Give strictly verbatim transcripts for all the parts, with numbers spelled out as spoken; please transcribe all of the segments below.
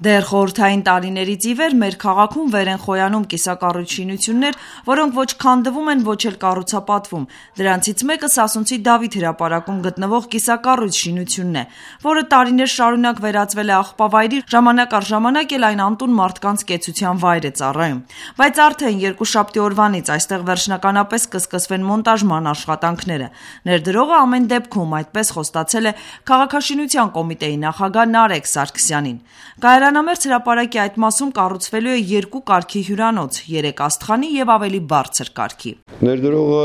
Դեռ խորհրդային տարիներից ի վեր մեր քաղաքում վեր են խոյանում կիսակառույց շինություններ, որոնք ոչ քանդվում են, ոչ էլ կառուցապատվում։ Դրանցից մեկը Սասունցի Դավիթ հրապարակում գտնվող կիսակառույց շինությունն է, որը տարիներ շարունակ վերածվել է աղբավայրի, ժամանակ առ ժամանակ էլ այն անտուն մարդկանց կեցության վայր է ծառայում։ Բայց արդեն երկուշաբթի օրվանից այստեղ վերջնականապես կսկսվեն մոնտաժման աշխատանքները։ Ներդրողը ամեն դեպքում այդպես խոստացել է քաղաքաշինության կոմիտեի նախագահ Նարեկ Սարգսյանին։ Կայարանամերձ հրապարակի այդ մասում կառուցվելու է երկու կարգի հյուրանոց՝ երեք աստղանի եւ ավելի բարձր կարգի։ Ներդրողը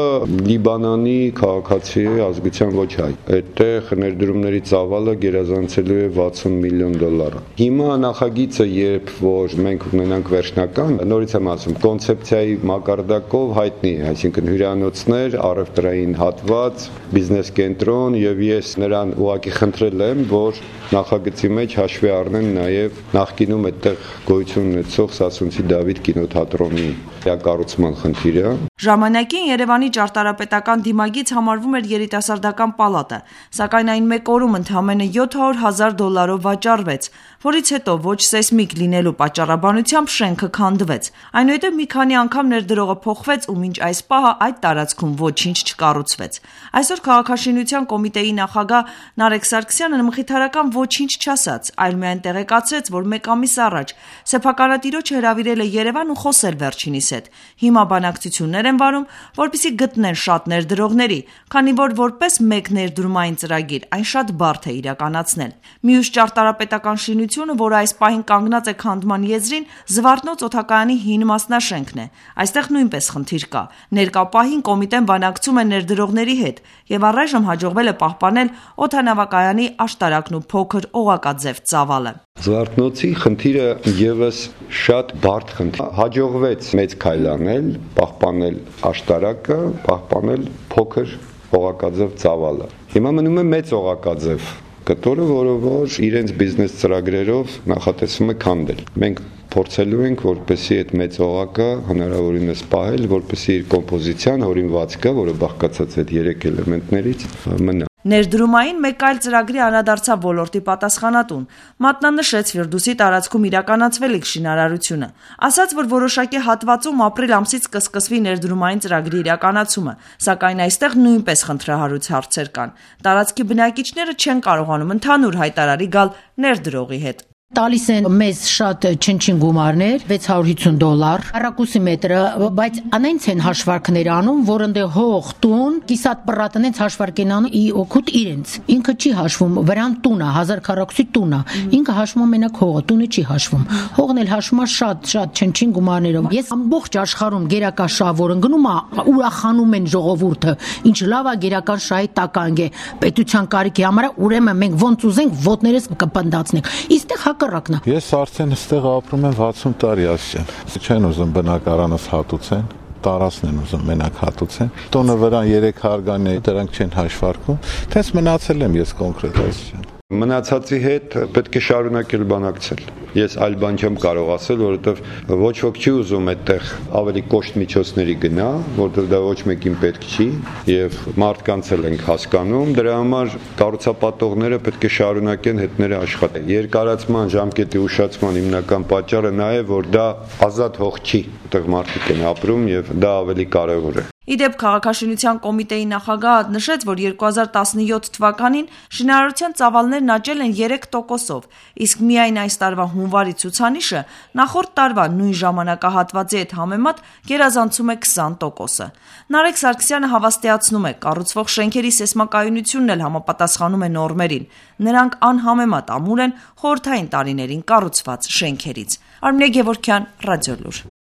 Լիբանանի քաղաքացի է, ազգության ոչ հայ։ Այդտեղ ներդրումների ծավալը գերազանցելու է վաթսուն միլիոն դոլար։ Հիմա նախագիծը, երբ որ մենք ունենանք վերջնական, նորից եմ ասում, կոնցեպցիայի մակարդակով հայտնի է, այսինքն հյուրանոցներ, առևտրային հատված, բիզնես կենտրոն, եւ ես նրան ուղղակի խնդրել եմ, որ նախագծի մեջ հաշվի առնեն նաեւ նախկինում այդտեղ գոյություն ունեցող Սասունցի Դավիթ կինոթատրոնի կառուցման խնդիրը։ Ժամանակին Երևանի ճարտարապետական դիմագիծ համարվում էր երիտասարդական պալատը, սակայն այն մեկ օրում ընդամենը յոթ հարյուր հազար դոլարով վաճառվեց, որից հետո ոչ սեյսմիկ լինելու պատճառաբանությամբ շենքը քանդվեց։ Այնուհետև մի քանի անգամ ներդրողը փոխվեց ու մինչ այս պահը այդ տարածքում ոչինչ չկառուցվեց։ Այսօր քաղաքաշինության կոմիտեի նախագահ Նարեկ Սարգսյանը մխիթարական ոչինչ չասաց, այլ միայն տեղեկացրեց, որ մեկ ամիս առաջ սեփականատիրոջը հրավիրել է Երևան ու խոսել վերջինիս հետ։ Հիմա բանակցություններ են վարում, որպեսզի գտնեն շատ ներդրողների, քանի որ որպես մեկ ներդրումային ծրագիր այն շատ բարդ է իրականացնել։ Մյուս ճարտարապետական շինությունը, որը այս պահին կանգնած է քանդման եզրին, Զվարթնոց օդակայանի հին մասնաշենքն է։ Այստեղ նույնպես խնդիր կա։ Ներկա պահին կոմիտեն բանակցում է ներդրողների հետ եւ առայժմ հաջողվել է պահպանել օդանավակայանի աշտարակն ու փոքր օղակաձև ծավալը։ Զվարթնոցի խնդիրը եւս շատ բարդ խնդիր։ Հաջողվեց մեծ քայլ անել, պահպանել աշտարակը, պահպանել փոքր օղակաձև ծավալը։ Հիմա մնում է մեծ օղակաձև կտորը, որը որ իրենց բիզնես ծրագրերով նախատեսվում է քանդել։ Մենք փորձելու ենք, որպեսզի այդ մեծ օղակը հնարավորինս պահել, որպեսզի իր կոմպոզիցիան, հորինվածքը, որը բաղկացած է այդ երեք էլեմենտներից, մնա։ Ներդրումային մեկ այլ ծրագրի անդրադարձավ ոլորտի պատասխանատուն, մատնանշեց Ֆիրդուսի տարածքում իրականացվելիք շինարարությունը։ Ասաց, որ որոշակի հատվածում ապրիլ ամսից կսկսվի ներդրումային ծրագրի իրականացումը, սակայն այստեղ նույնպես խնդրահարույց հարցեր կան։ Տարածքի բնակիչները չեն կարողանում ընդհանուր հայտարարի գալ ներդրողի հետ։ Տալիս են մեզ շատ չնչին գումարներ, վեց հարյուր հիսուն դոլար, առակուսի մետրը, բայց անենց են հաշվարկներ անում, որ ընդ հող, տուն, կիսատ պռատն են հաշվարկ են անում ի օգուտ իրենց։ Ինքը չի հաշվում, վրան տունը, հազար քառակուսի տունը, ինքը հաշվում մենակ հողը, տունը չի հաշվում։ Հողն էլ հաշվում է շատ շատ չնչին գումարներով։ Ես ամբողջ աշխարհում գերական շահ, որ ընկնում է, ուրախանում են ժողովուրդը, ինչ լավ է գերական շահի տականք է, պետության կարիքի համար, ուրեմն մենք ոնց ուզենք ոտներս կպնդացնենք։ Իստեղ Ես արդեն ստեղ ապրում եմ վաթսուն տարի ասեմ։ Չեն ուզում բնակարանս հատուցեն, տարածքն են ուզում մենակ հատուցեն։ Տոնը վրան երեք հարգանի է, դրանք չեն հաշվարկում։ Թենց մնացել եմ ես կոնկրետ այսինքն։ Մնացածի հետ պետք է շարունակել բանակցել։ Ես այլ բան չեմ կարող ասել, որովհետև ոչ ոք չի ուզում այդտեղ ավելի կոշտ միջոցների գնա, որովհետև դա ոչ մեկին պետք չի, եւ մարդկանց էլ ենք հասկանում, դրա համար կառուցապատողները պետք է շարունակեն հետները աշխատել։ Երկարացման ժամկետի ուշացման հիմնական պատճառը նա է, որ դա ազատ հող չի, այդտեղ մարդիկ են ապրում եւ դա ավելի կարեւոր է։ Իդեպ քաղաքաշինության կոմիտեի նախագահը նշեց, որ երկու հազար տասնյոթ թվականին շինարարության ծավալներն աճել են երեք տոկոսով, իսկ միայն այս տարվա հունվարի ցուցանիշը նախորդ տարվա նույն ժամանակահատվածի հետ համեմատ գերազանցում է քսան տոկոսը։ Նարեկ Սարգսյանը հավաստիացնում է, կառուցվող շենքերի սեյսմակայունությունն էլ համապատասխանում է նորմերին։ Նրանք անհամեմատ ամուր են խորհրդային տարիներին կառուցված շենքերից։ Արմինե Գևորգյան, Ռադիոլուր։